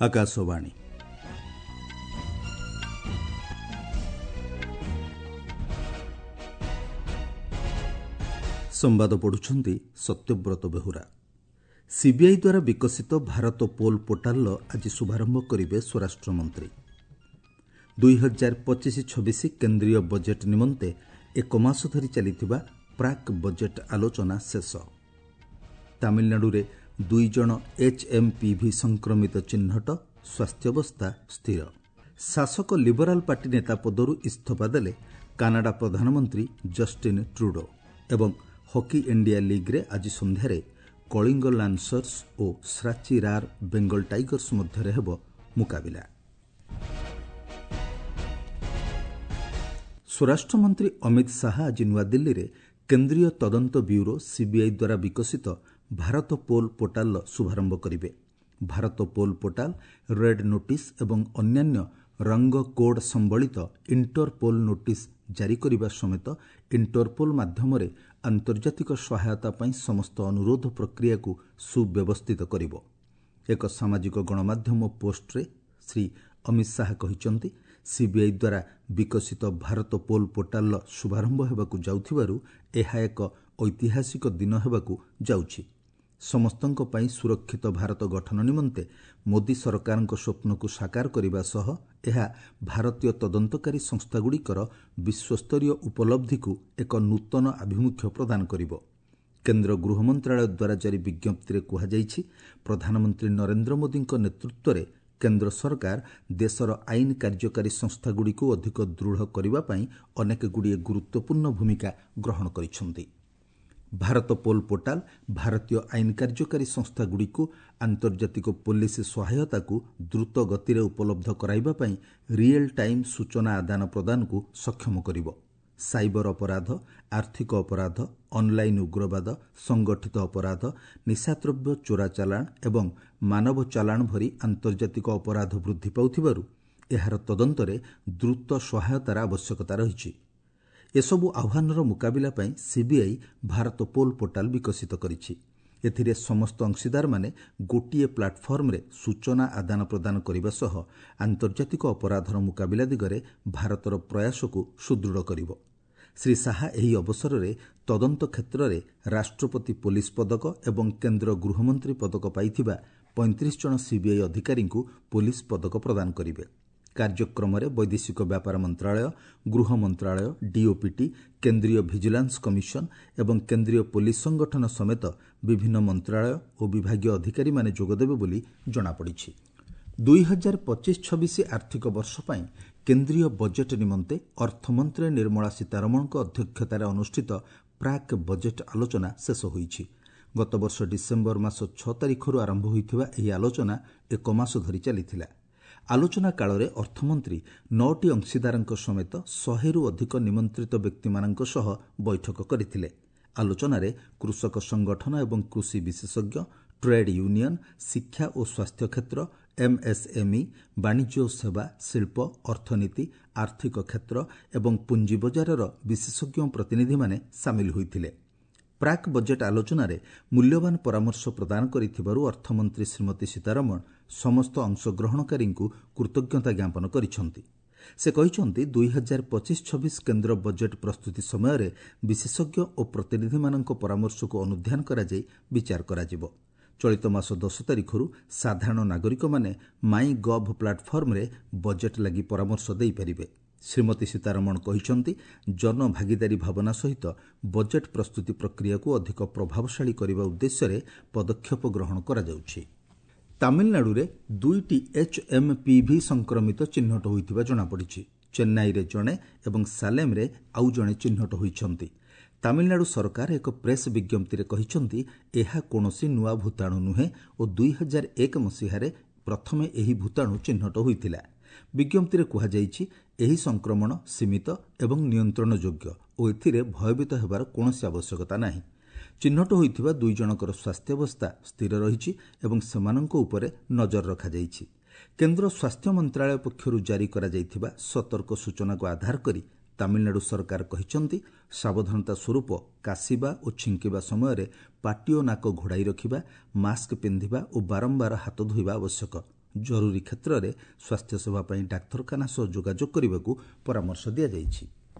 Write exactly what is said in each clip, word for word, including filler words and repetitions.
ଆକାଶବାଣୀ। ସମ୍ବାଦ ପଢୁଛନ୍ତି ସତ୍ୟବ୍ରତ ବେହୁରା। ସିବିଆଇ ଦ୍ୱାରା ବିକଶିତ ଭାରତ ପୋଲ୍ ପୋର୍ଟାଲର ଆଜି ଶୁଭାରମ୍ଭ କରିବେ ସ୍ୱରାଷ୍ଟ୍ରମନ୍ତ୍ରୀ। ଦୁଇ ହଜାର ପଚିଶ ଛବିଶ କେନ୍ଦ୍ରୀୟ ବଜେଟ୍ ନିମନ୍ତେ ଏକ ମାସ ଧରି ଚାଲିଥିବା ପ୍ରାକ୍ ବଜେଟ୍ ଆଲୋଚନା ଶେଷ। ତାମିଲନାଡୁରେ ଦୁଇ ଜଣ ଏଚ୍ଏମ୍ପିଭି ସଂକ୍ରମିତ ଚିହ୍ନଟ, ସ୍ୱାସ୍ଥ୍ୟାବସ୍ଥା ସ୍ଥିର। ଶାସକ ଲିବରାଲ ପାର୍ଟି ନେତା ପଦରୁ ଇସ୍ତଫା ଦେଲେ କାନାଡା ପ୍ରଧାନମନ୍ତ୍ରୀ ଜଷ୍ଟିନ୍ ଟ୍ରୁଡୋ। ଏବଂ ହକି ଇଣ୍ଡିଆ ଲିଗ୍ରେ ଆଜି ସନ୍ଧ୍ୟାରେ କଳିଙ୍ଗ ଲାନ୍ସର୍ସ ଓ ଶ୍ରାଚୀ ରାର୍ ବେଙ୍ଗଲ ଟାଇଗର୍ସ ମଧ୍ୟରେ ହେବ ମୁକାବିଲା। ସ୍ୱରାଷ୍ଟ୍ରମନ୍ତ୍ରୀ ଅମିତ ଶାହା ଆଜି ନୂଆଦିଲ୍ଲୀରେ କେନ୍ଦ୍ରୀୟ ତଦନ୍ତ ବ୍ୟୁରୋ ସିବିଆଇ ଦ୍ୱାରା ବିକଶିତ ଭାରତ ପୋଲ୍ ପୋର୍ଟାଲର ଶୁଭାରମ୍ଭ କରିବେ। Bharat pol portal red notice ଏବଂ ଅନ୍ୟାନ୍ୟ ରଙ୍ଗ କୋଡ୍ ସମ୍ବଳିତ ଇଣ୍ଟରପୋଲ୍ ନୋଟିସ୍ ଜାରି କରିବା ସମେତ ଇଣ୍ଟରପୋଲ୍ ମାଧ୍ୟମରେ ଆନ୍ତର୍ଜାତିକ ସହାୟତା ପାଇଁ ସମସ୍ତ ଅନୁରୋଧ ପ୍ରକ୍ରିୟାକୁ ସୁବ୍ୟବସ୍ଥିତ କରିବ। ଏକ ସାମାଜିକ ଗଣମାଧ୍ୟମ ପୋଷ୍ଟରେ ଶ୍ରୀ ଅମିତ ଶାହା କହିଛନ୍ତି, ସିବିଆଇ ଦ୍ୱାରା ବିକଶିତ ଭାରତ ପୋଲ୍ ପୋର୍ଟାଲର ଶୁଭାରମ୍ଭ ହେବାକୁ ଯାଉଥିବାରୁ ଏହା ଏକ ଐତିହାସିକ ଦିନ ହେବାକୁ ଯାଉଛି। ସମସ୍ତଙ୍କ ପାଇଁ ସୁରକ୍ଷିତ ଭାରତ ଗଠନ ନିମନ୍ତେ ମୋଦି ସରକାରଙ୍କ ସ୍ୱପ୍ନକୁ ସାକାର କରିବା ସହ ଏହା ଭାରତୀୟ ତଦନ୍ତକାରୀ ସଂସ୍ଥାଗୁଡ଼ିକର ବିଶ୍ୱସ୍ତରୀୟ ଉପଲବ୍ଧିକୁ ଏକ ନୂତନ ଆଭିମୁଖ୍ୟ ପ୍ରଦାନ କରିବ। କେନ୍ଦ୍ର ଗୃହ ମନ୍ତ୍ରଣାଳୟ ଦ୍ୱାରା ଜାରି ବିଜ୍ଞପ୍ତିରେ କୁହାଯାଇଛି, ପ୍ରଧାନମନ୍ତ୍ରୀ ନରେନ୍ଦ୍ର ମୋଦିଙ୍କ ନେତୃତ୍ୱରେ କେନ୍ଦ୍ର ସରକାର ଦେଶର ଆଇନ କାର୍ଯ୍ୟକାରୀ ସଂସ୍ଥାଗୁଡ଼ିକୁ ଅଧିକ ଦୃଢ଼ କରିବା ପାଇଁ ଅନେକଗୁଡ଼ିଏ ଗୁରୁତ୍ୱପୂର୍ଣ୍ଣ ଭୂମିକା ଗ୍ରହଣ କରିଛନ୍ତି। ଭାରତ ପୋଲ୍ ପୋର୍ଟାଲ ଭାରତୀୟ ଆଇନ କାର୍ଯ୍ୟକାରୀ ସଂସ୍ଥାଗୁଡ଼ିକୁ ଆନ୍ତର୍ଜାତିକ ପୋଲିସ ସହାୟତାକୁ ଦ୍ରୁତ ଗତିରେ ଉପଲବ୍ଧ କରାଇବା ପାଇଁ ରିଏଲ୍ ଟାଇମ୍ ସୂଚନା ଆଦାନ ପ୍ରଦାନକୁ ସକ୍ଷମ କରିବ। ସାଇବର ଅପରାଧ, ଆର୍ଥିକ ଅପରାଧ, ଅନ୍ଲାଇନ୍ ଉଗ୍ରବାଦ, ସଂଗଠିତ ଅପରାଧ, ନିଶାଦ୍ରବ୍ୟ ଚୋରା ଚାଲାଣ ଏବଂ ମାନବ ଚାଲାଣ ଭଳି ଆନ୍ତର୍ଜାତିକ ଅପରାଧ ବୃଦ୍ଧି ପାଉଥିବାରୁ ଏହାର ତଦନ୍ତରେ ଦ୍ରୁତ ସହାୟତାର ଆବଶ୍ୟକତା ରହିଛି। ଏସବୁ ଆହ୍ୱାନର ମୁକାବିଲା ପାଇଁ ସିବିଆଇ ଭାରତ ପୋଲ୍ ପୋର୍ଟାଲ ବିକଶିତ କରିଛି। ଏଥିରେ ସମସ୍ତ ଅଂଶୀଦାରମାନେ ଗୋଟିଏ ପ୍ଲାଟଫର୍ମରେ ସୂଚନା ଆଦାନ ପ୍ରଦାନ କରିବା ସହ ଆନ୍ତର୍ଜାତିକ ଅପରାଧର ମୁକାବିଲା ଦିଗରେ ଭାରତର ପ୍ରୟାସକୁ ସୁଦୃଢ଼ କରିବ। ଶ୍ରୀ ଶାହା ଏହି ଅବସରରେ ତଦନ୍ତ କ୍ଷେତ୍ରରେ ରାଷ୍ଟ୍ରପତି ପୋଲିସ ପଦକ ଏବଂ କେନ୍ଦ୍ର ଗୃହମନ୍ତ୍ରୀ ପଦକ ପାଇଥିବା ପଇଁତିରିଶ ଜଣ ସିବିଆଇ ଅଧିକାରୀଙ୍କୁ ପୋଲିସ ପଦକ ପ୍ରଦାନ କରିବେ। କାର୍ଯ୍ୟକ୍ରମରେ ବୈଦେଶିକ ବ୍ୟାପାର ମନ୍ତ୍ରଣାଳୟ, ଗୃହ ମନ୍ତ୍ରଣାଳୟ, ଡିଓପିଟି, କେନ୍ଦ୍ରୀୟ ଭିଜିଲାନ୍ସ କମିଶନ ଏବଂ କେନ୍ଦ୍ରୀୟ ପୋଲିସ ସଂଗଠନ ସମେତ ବିଭିନ୍ନ ମନ୍ତ୍ରଣାଳୟ ଓ ବିଭାଗୀୟ ଅଧିକାରୀମାନେ ଯୋଗଦେବେ ବୋଲି ଜଣାପଡ଼ିଛି। ଦୁଇ ହଜାର ପଚିଶ ଛବିଶ ଆର୍ଥିକ ବର୍ଷ ପାଇଁ କେନ୍ଦ୍ରୀୟ ବଜେଟ୍ ନିମନ୍ତେ ଅର୍ଥମନ୍ତ୍ରୀ ନିର୍ମଳା ସୀତାରମଣଙ୍କ ଅଧ୍ୟକ୍ଷତାରେ ଅନୁଷ୍ଠିତ ପ୍ରାକ୍ ବଜେଟ୍ ଆଲୋଚନା ଶେଷ ହୋଇଛି। ଗତବର୍ଷ ଡିସେମ୍ବର ମାସ ଛଅ ତାରିଖରୁ ଆରମ୍ଭ ହୋଇଥିବା ଏହି ଆଲୋଚନା ଏକ ମାସ ଧରି ଚାଲିଥିଲା। ଆଲୋଚନା କାଳରେ ଅର୍ଥମନ୍ତ୍ରୀ ନଅଟି ଅଂଶୀଦାରଙ୍କ ସମେତ ଶହେରୁ ଅଧିକ ନିମନ୍ତ୍ରିତ ବ୍ୟକ୍ତିମାନଙ୍କ ସହ ବୈଠକ କରିଥିଲେ। ଆଲୋଚନାରେ କୃଷକ ସଂଗଠନ ଏବଂ କୃଷି ବିଶେଷଜ୍ଞ, ଟ୍ରେଡ୍ ୟୁନିୟନ, ଶିକ୍ଷା ଓ ସ୍ୱାସ୍ଥ୍ୟ କ୍ଷେତ୍ର, ଏମ୍ଏସ୍ଏମ୍ଇ, ବାଣିଜ୍ୟ ଓ ସେବା, ଶିଳ୍ପ, ଅର୍ଥନୀତି, ଆର୍ଥିକ କ୍ଷେତ୍ର ଏବଂ ପୁଞ୍ଜି ବଜାରର ବିଶେଷଜ୍ଞ ପ୍ରତିନିଧିମାନେ ସାମିଲ ହୋଇଥିଲେ। ପ୍ରାକ୍ ବଜେଟ୍ ଆଲୋଚନାରେ ମୂଲ୍ୟବାନ ପରାମର୍ଶ ପ୍ରଦାନ କରିଥିବାରୁ ଅର୍ଥମନ୍ତ୍ରୀ ଶ୍ରୀମତୀ ସୀତାରମଣ ସମସ୍ତ ଅଂଶଗ୍ରହଣକାରୀଙ୍କୁ କୃତଜ୍ଞତା ଜ୍ଞାପନ କରିଛନ୍ତି। ସେ କହିଛନ୍ତି, ଦୁଇ ହଜାର ପଚିଶ ଛବିଶ କେନ୍ଦ୍ର ବଜେଟ୍ ପ୍ରସ୍ତୁତି ସମୟରେ ବିଶେଷଜ୍ଞ ଓ ପ୍ରତିନିଧିମାନଙ୍କ ପରାମର୍ଶକୁ ଅନୁଧ୍ୟାନ କରାଯାଇ ବିଚାର କରାଯିବ। ଚଳିତ ମାସ ଦଶ ତାରିଖରୁ ସାଧାରଣ ନାଗରିକମାନେ ମାଇ ଗଭ୍ ପ୍ଲାଟଫର୍ମରେ ବଜେଟ୍ ଲାଗି ପରାମର୍ଶ ଦେଇପାରିବେ। ଶ୍ରୀମତୀ ସୀତାରମଣ କହିଛନ୍ତି, ଜନଭାଗିଦାରୀ ଭାବନା ସହିତ ବଜେଟ୍ ପ୍ରସ୍ତୁତି ପ୍ରକ୍ରିୟାକୁ ଅଧିକ ପ୍ରଭାବଶାଳୀ କରିବା ଉଦ୍ଦେଶ୍ୟରେ ପଦକ୍ଷେପ ଗ୍ରହଣ କରାଯାଉଛି। ତାମିଲନାଡୁରେ ଦୁଇଟି ଏଚ୍ଏମ୍ପିଭି ସଂକ୍ରମିତ ଚିହ୍ନଟ ହୋଇଥିବା ଜଣାପଡ଼ିଛି। ଚେନ୍ନାଇରେ ଜଣେ ଏବଂ ସାଲେମ୍ରେ ଆଉ ଜଣେ ଚିହ୍ନଟ ହୋଇଛନ୍ତି। ତାମିଲନାଡୁ ସରକାର ଏକ ପ୍ରେସ୍ ବିଜ୍ଞପ୍ତିରେ କହିଛନ୍ତି, ଏହା କୌଣସି ନୂଆ ଭୂତାଣୁ ନୁହେଁ ଓ ଦୁଇ ହଜାର ଏକ ମସିହାରେ ପ୍ରଥମେ ଏହି ଭୂତାଣୁ ଚିହ୍ନଟ ହୋଇଥିଲା। ବିଜ୍ଞପ୍ତିରେ କୁହାଯାଇଛି, ଏହି ସଂକ୍ରମଣ ସୀମିତ ଏବଂ ନିୟନ୍ତ୍ରଣଯୋଗ୍ୟ ଓ ଏଥିରେ ଭୟଭୀତ ହେବାର କୌଣସି ଆବଶ୍ୟକତା ନାହିଁ। ଚିହ୍ନଟ ହୋଇଥିବା ଦୁଇ ଜଣଙ୍କର ସ୍ୱାସ୍ଥ୍ୟାବସ୍ଥା ସ୍ଥିର ରହିଛି ଏବଂ ସେମାନଙ୍କ ଉପରେ ନଜର ରଖାଯାଇଛି। କେନ୍ଦ୍ର ସ୍ୱାସ୍ଥ୍ୟ ମନ୍ତ୍ରଣାଳୟ ପକ୍ଷରୁ ଜାରି କରାଯାଇଥିବା ସତର୍କ ସୂଚନାକୁ ଆଧାର କରି ତାମିଲନାଡୁ ସରକାର କହିଛନ୍ତି, ସାବଧାନତା ସ୍ୱରୂପ କାଶିବା ଓ ଛିଙ୍କିବା ସମୟରେ ପାଟି ଓ ନାକ ଘୋଡ଼ାଇ ରଖିବା, ମାସ୍କ ପିନ୍ଧିବା ଓ ବାରମ୍ବାର ହାତ ଧୋଇବା ଆବଶ୍ୟକ। ଜରୁରୀ କ୍ଷେତ୍ରରେ ସ୍ୱାସ୍ଥ୍ୟସେବା ପାଇଁ ଡାକ୍ତରଖାନା ସହ ଯୋଗାଯୋଗ କରିବାକୁ ପରାମର୍ଶ ଦିଆଯାଇଛି।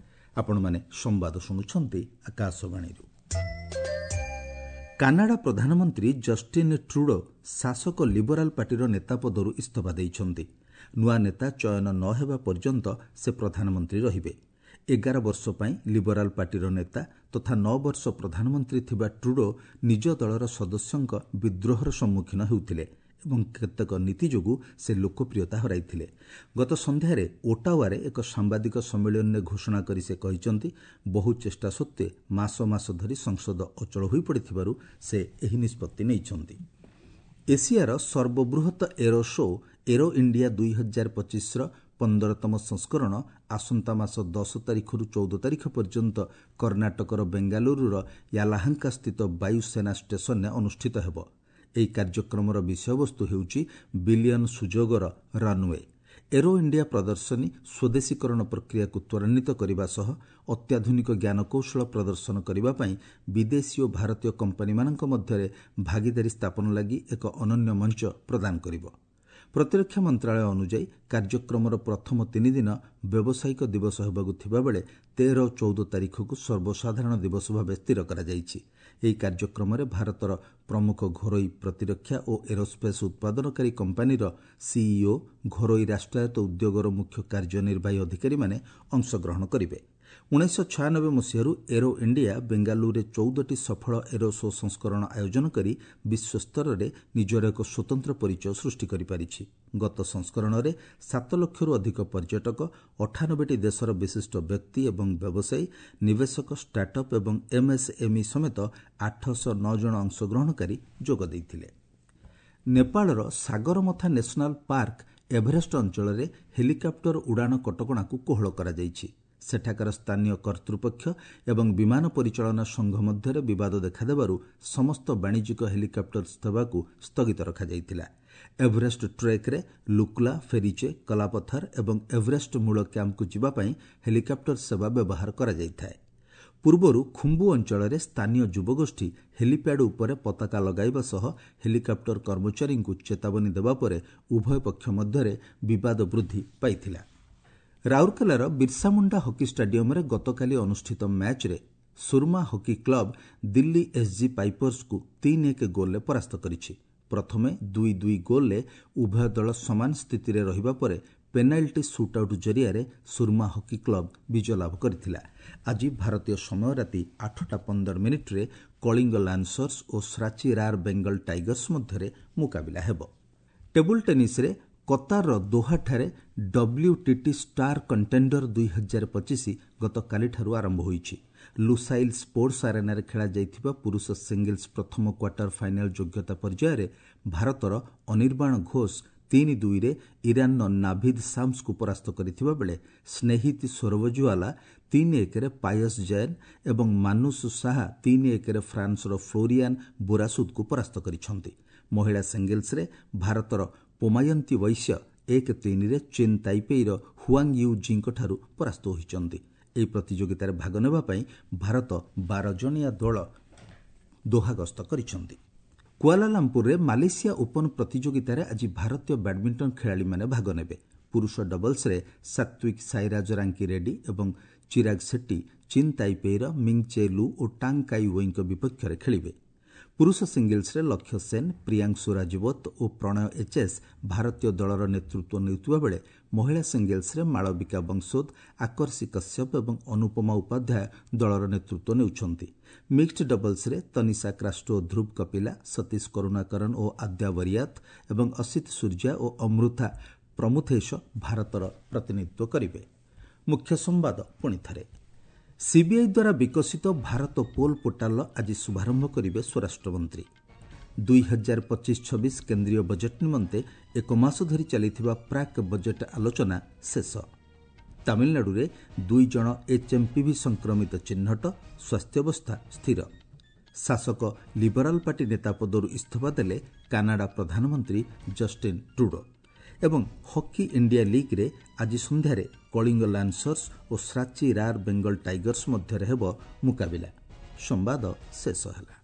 ଆପଣମାନେ ସମ୍ବାଦ ଶୁଣୁଛନ୍ତି ଆକାଶବାଣୀରୁ। କାନାଡା ପ୍ରଧାନମନ୍ତ୍ରୀ ଜଷ୍ଟିନ୍ ଟ୍ରୁଡୋ ଶାସକ ଲିବରାଲ ପାର୍ଟିର ନେତା ପଦରୁ ଇସ୍ତଫା ଦେଇଛନ୍ତି। ନୂଆ ନେତା ଚୟନ ନ ହେବା ପର୍ଯ୍ୟନ୍ତ ସେ ପ୍ରଧାନମନ୍ତ୍ରୀ ରହିବେ। ଏଗାର ବର୍ଷ ପାଇଁ ଲିବରାଲ ପାର୍ଟିର ନେତା ତଥା ନଅ ବର୍ଷ ପ୍ରଧାନମନ୍ତ୍ରୀ ଥିବା ଟ୍ରୁଡୋ ନିଜ ଦଳର ସଦସ୍ୟଙ୍କ ବିଦ୍ରୋହର ସମ୍ମୁଖୀନ ହେଉଥିଲେ ଏବଂ କେତେକ ନୀତି ଯୋଗୁଁ ସେ ଲୋକପ୍ରିୟତା ହରାଇଥିଲେ। ଗତ ସନ୍ଧ୍ୟାରେ ଓଟାୱାରେ ଏକ ସାମ୍ବାଦିକ ସମ୍ମିଳନୀରେ ଘୋଷଣା କରି ସେ କହିଛନ୍ତି, ବହୁ ଚେଷ୍ଟା ସତ୍ତ୍ୱେ ମାସ ମାସ ଧରି ସଂସଦ ଅଚଳ ହୋଇପଡ଼ିଥିବାରୁ ସେ ଏହି ନିଷ୍ପତ୍ତି ନେଇଛନ୍ତି। ଏସିଆର ସର୍ବବୃହତ ଏରୋ ଶୋ ଏରୋ ଇଣ୍ଡିଆ ଦୁଇ ହଜାର ପଚିଶର ପନ୍ଦରତମ ସଂସ୍କରଣ ଆସନ୍ତା ମାସ ଦଶ ତାରିଖରୁ ଚଉଦ ତାରିଖ ପର୍ଯ୍ୟନ୍ତ କର୍ଣ୍ଣାଟକର ବେଙ୍ଗାଲୁରୁର ୟାଲାହାଙ୍କାସ୍ଥିତ ବାୟୁସେନା ଷ୍ଟେସନରେ ଅନୁଷ୍ଠିତ ହେବ। ଏହି କାର୍ଯ୍ୟକ୍ରମର ବିଷୟବସ୍ତୁ ହେଉଛି ବିଲିୟନ ସୁଯୋଗର ରନ୍ୱେ। ଏରୋ ଇଣ୍ଡିଆ ପ୍ରଦର୍ଶନୀ ସ୍ୱଦେଶୀକରଣ ପ୍ରକ୍ରିୟାକୁ ତ୍ୱରାନ୍ୱିତ କରିବା ସହ ଅତ୍ୟାଧୁନିକ ଜ୍ଞାନକୌଶଳ ପ୍ରଦର୍ଶନ କରିବା ପାଇଁ ବିଦେଶୀ ଓ ଭାରତୀୟ କମ୍ପାନୀମାନଙ୍କ ମଧ୍ୟରେ ଭାଗିଦାରୀ ସ୍ଥାପନ ଲାଗି ଏକ ଅନନ୍ୟ ମଞ୍ଚ ପ୍ରଦାନ କରିବ। ପ୍ରତିରକ୍ଷା ମନ୍ତ୍ରଣାଳୟ ଅନୁଯାୟୀ କାର୍ଯ୍ୟକ୍ରମର ପ୍ରଥମ ତିନି ଦିନ ବ୍ୟବସାୟିକ ଦିବସ ହେବାକୁ ଥିବାବେଳେ ତେର ଓ ଚଉଦ ତାରିଖକୁ ସର୍ବସାଧାରଣ ଦିବସ ଭାବେ ସ୍ଥିର କରାଯାଇଛି। ଏହି କାର୍ଯ୍ୟକ୍ରମରେ ଭାରତର ପ୍ରମୁଖ ଘରୋଇ ପ୍ରତିରକ୍ଷା ଓ ଏରୋସ୍ପେସ୍ ଉତ୍ପାଦନକାରୀ କମ୍ପାନୀର ସିଇଓ, ଘରୋଇ ରାଷ୍ଟ୍ରାୟତ୍ତ ଉଦ୍ୟୋଗର ମୁଖ୍ୟ କାର୍ଯ୍ୟନିର୍ବାହୀ ଅଧିକାରୀମାନେ ଅଂଶଗ୍ରହଣ କରିବେ। ଉଣେଇଶହ ଛୟାନବେ ମସିହାରୁ ଏରୋ ଇଣ୍ଡିଆ ବେଙ୍ଗାଲୁରୁରେ ଚଉଦଟି ସଫଳ ଏରୋ ଶୋ ସଂସ୍କରଣ ଆୟୋଜନ କରି ବିଶ୍ୱସ୍ତରରେ ନିଜର ଏକ ସ୍ୱତନ୍ତ୍ର ପରିଚୟ ସୃଷ୍ଟି କରିପାରିଛି। ଗତ ସଂସ୍କରଣରେ ସାତ ଲକ୍ଷରୁ ଅଧିକ ପର୍ଯ୍ୟଟକ, ଅଠାନବେଟି ଦେଶର ବିଶିଷ୍ଟ ବ୍ୟକ୍ତି ଏବଂ ବ୍ୟବସାୟୀ, ନିବେଶକ, ଷ୍ଟାର୍ଟଅପ୍ ଏବଂ ଏମ୍ଏସ୍ଏମ୍ଇ ସମେତ ଆଠଶହ ନଅ ଜଣ ଅଂଶଗ୍ରହଣକାରୀ ଯୋଗ ଦେଇଥିଲେ। ନେପାଳର ସାଗରମଥା ନ୍ୟାସନାଲ ପାର୍କ ଏଭରେଷ୍ଟ ଅଞ୍ଚଳରେ ହେଲିକପ୍ଟର ଉଡ଼ାଣ କଟକଣାକୁ କୋହଳ କରାଯାଇଛି। ସେଠାକାର ସ୍ଥାନୀୟ କର୍ତ୍ତୃପକ୍ଷ ଏବଂ ବିମାନ ପରିଚାଳନା ସଂଘ ମଧ୍ୟରେ ବିବାଦ ଦେଖାଦେବାରୁ ସମସ୍ତ ବାଣିଜ୍ୟିକ ହେଲିକପ୍ଟର ସେବାକୁ ସ୍ଥଗିତ ରଖାଯାଇଥିଲା। ଏଭରେଷ୍ଟ ଟ୍ରେକ୍ରେ ଲୁକ୍ଲା, ଫେରିଚେ, କଲାପଥର ଏବଂ ଏଭରେଷ୍ଟ ମୂଳ କ୍ୟାମ୍ପକୁ ଯିବା ପାଇଁ ହେଲିକପ୍ଟର ସେବା ବ୍ୟବହାର କରାଯାଇଥାଏ। ପୂର୍ବରୁ ଖୁମ୍ବୁ ଅଞ୍ଚଳରେ ସ୍ଥାନୀୟ ଯୁବଗୋଷ୍ଠୀ ହେଲିପ୍ୟାଡ୍ ଉପରେ ପତାକା ଲଗାଇବା ସହ ହେଲିକପ୍ଟର କର୍ମଚାରୀଙ୍କୁ ଚେତାବନୀ ଦେବା ପରେ ଉଭୟ ପକ୍ଷ ମଧ୍ୟରେ ବିବାଦ ବୃଦ୍ଧି ପାଇଥିଲା। ରାଉରକେଲାର ବିର୍ସାମୁଣ୍ଡା ହକି ଷ୍ଟାଡିୟମରେ ଗତକାଲି ଅନୁଷ୍ଠିତ ମ୍ୟାଚ୍ରେ Soorma hockey club Delhi SG ପାଇପର୍ସକୁ ତିନି ଏକ ଗୋଲ୍ରେ ପରାସ୍ତ କରିଛି। ପ୍ରଥମେ ଦୁଇ ଦୁଇ ଗୋଲ୍ରେ ଉଭୟ ଦଳ ସମାନ ସ୍ଥିତିରେ ରହିବା ପରେ ପେନାଲ୍ଟି ସୁଟ୍ଆଉଟ୍ ଜରିଆରେ ସୁରମା ହକି କ୍ଲବ ବିଜୟ ଲାଭ କରିଥିଲା। ଆଜି ଭାରତୀୟ ସମୟ ରାତି ଆଠଟା ପନ୍ଦର ମିନିଟ୍ରେ କଳିଙ୍ଗ ଲାନ୍ସର୍ସ ଓ ଶ୍ରାଚି ରାର୍ ବେଙ୍ଗଲ ଟାଇଗର୍ସ ମଧ୍ୟରେ ମୁକାବିଲା ହେବ। ଟେବୁଲ ଟେନିସ୍ରେ କତାରର ଦୋହାଠାରେ ଡବ୍ଲ୍ୟୁଟିଟି ଷ୍ଟାର କଣ୍ଟେଣ୍ଡର ଦୁଇ ହଜାର ପଚିଶ ଗତକାଲିଠାରୁ ଆରମ୍ଭ ହୋଇଛି। ଲୁସାଇଲ୍ ସ୍ପୋର୍ଟସ ଆରେନାରେ ଖେଳାଯାଇଥିବା ପୁରୁଷ ସିଙ୍ଗଲ୍ସ ପ୍ରଥମ କ୍ୱାର୍ଟର ଫାଇନାଲ ଯୋଗ୍ୟତା ପର୍ଯ୍ୟାୟରେ ଭାରତର ଅନିର୍ବାଣ ଘୋଷ ତିନି ଦୁଇରେ ଇରାନର ନାଭିଦ୍ ସାମ୍ସକୁ ପରାସ୍ତ କରିଥିବା ବେଳେ ସ୍ନେହିତ ସୋରବଜୁଆଲା ତିନି ଏକରେ ପାୟସ ଜୈନ ଏବଂ ମାନୁଷ ଶାହା ତିନି ଏକରେ ଫ୍ରାନ୍ସର ଫ୍ଲୋରିଆନ୍ ବୋରାସୁଦକୁ ପରାସ୍ତ କରିଛନ୍ତି। ମହିଳା ସିଙ୍ଗଲ୍ସରେ ଭାରତର ପୋମାୟନ୍ତୀ ବୈଶ୍ୟ ଏକ ତିନିରେ ଚୀନ୍ ତାଇପେଇର ହୁଆଙ୍ଗ you ଜିଙ୍କଠାରୁ ପରାସ୍ତ ହୋଇଛନ୍ତି। ଏହି ପ୍ରତିଯୋଗିତାରେ ଭାଗ ନେବା ପାଇଁ ଭାରତ ବାର ଜଣିଆ ଦଳ ଦୋହା ଗସ୍ତ କରିଛନ୍ତି। କୁଆଲାଲାମ୍ପୁରରେ ମାଲେସିଆ ଓପନ୍ ପ୍ରତିଯୋଗିତାରେ ଆଜି ଭାରତୀୟ ବ୍ୟାଡମିଣ୍ଟନ ଖେଳାଳିମାନେ ଭାଗ ନେବେ। ପୁରୁଷ ଡବଲ୍ସରେ ସାତ୍ୱିକ ସାଇରାଜ ରାଙ୍କି ରେଡ୍ଡି ଏବଂ ଚିରାଗ ସେଟ୍ଟି ଚୀନ୍ ତାଇପେଇର ମିଙ୍ଗ ଚେ ଲୁ ଓ ଟାଙ୍ଗ କାଇ ୱେଇଙ୍କ ବିପକ୍ଷରେ ଖେଳିବେ। ପୁରୁଷ ସିଙ୍ଗଲ୍ସରେ ଲକ୍ଷ୍ୟ ସେନ୍, ପ୍ରିୟାଂଶୁ ରାଜୱତ ଓ ପ୍ରଣୟ ଏଚ୍ଏସ୍ ଭାରତୀୟ ଦଳର ନେତୃତ୍ୱ ନେଉଥିବା ବେଳେ ମହିଳା ସିଙ୍ଗଲ୍ସରେ ମାଳବିକା ବଂଶୋଦ, ଆକର୍ଷି କଶ୍ୟପ ଏବଂ ଅନୁପମା ଉପାଧ୍ୟାୟ ଦଳର ନେତୃତ୍ୱ ନେଉଛନ୍ତି। ମିକ୍ସଡ୍ ଡବଲ୍ସରେ ତନିଷା କ୍ରାଷ୍ଟୋ, ଧ୍ରୁବ କପିଲା, ସତୀଶ କରୁଣାକରନ ଓ ଆଦ୍ୟା ବରିୟାତ ଏବଂ ଅସିତ ସୂର୍ଯ୍ୟା ଓ ଅମୃତା ପ୍ରମୁଥେଶ ଭାରତର ପ୍ରତିନିଧିତ୍ୱ କରିବେ। ମୁଖ୍ୟ ସମ୍ବାଦ ପୁଣି ଥରେ। ସିବିଆଇ ଦ୍ୱାରା ବିକଶିତ ଭାରତ ପୋଲ୍ ପୋର୍ଟାଲର ଆଜି ଶୁଭାରମ୍ଭ କରିବେ ସ୍ୱରାଷ୍ଟ୍ରମନ୍ତ୍ରୀ। ଦୁଇ ହଜାର ପଚିଶ ଛବିଶ କେନ୍ଦ୍ରୀୟ ବଜେଟ୍ ନିମନ୍ତେ ଏକ ମାସ ଧରି ଚାଲିଥିବା ପ୍ରାକ୍ ବଜେଟ୍ ଆଲୋଚନା ଶେଷ। ତାମିଲନାଡୁରେ ଦୁଇ ଜଣ ଏଚ୍ଏମ୍ପିଭି ସଂକ୍ରମିତ ଚିହ୍ନଟ, ସ୍ୱାସ୍ଥ୍ୟାବସ୍ଥା ସ୍ଥିର। ଶାସକ ଲିବରାଲ ପାର୍ଟି ନେତା ପଦରୁ ଇସ୍ତଫା ଦେଲେ କାନାଡା ପ୍ରଧାନମନ୍ତ୍ରୀ ଜଷ୍ଟିନ୍ ଟ୍ରୁଡୋ। ଏବଂ ହକି ଇଣ୍ଡିଆ ଲିଗ୍ରେ ଆଜି ସନ୍ଧ୍ୟାରେ କଳିଙ୍ଗ ଲାନ୍ସର୍ସ ଓ ଶ୍ରାଚି ରାର୍ ବେଙ୍ଗଲ ଟାଇଗର୍ସ ମଧ୍ୟରେ ହେବ ମୁକାବିଲା। ସମ୍ବାଦ ଶେଷ ହେଲା।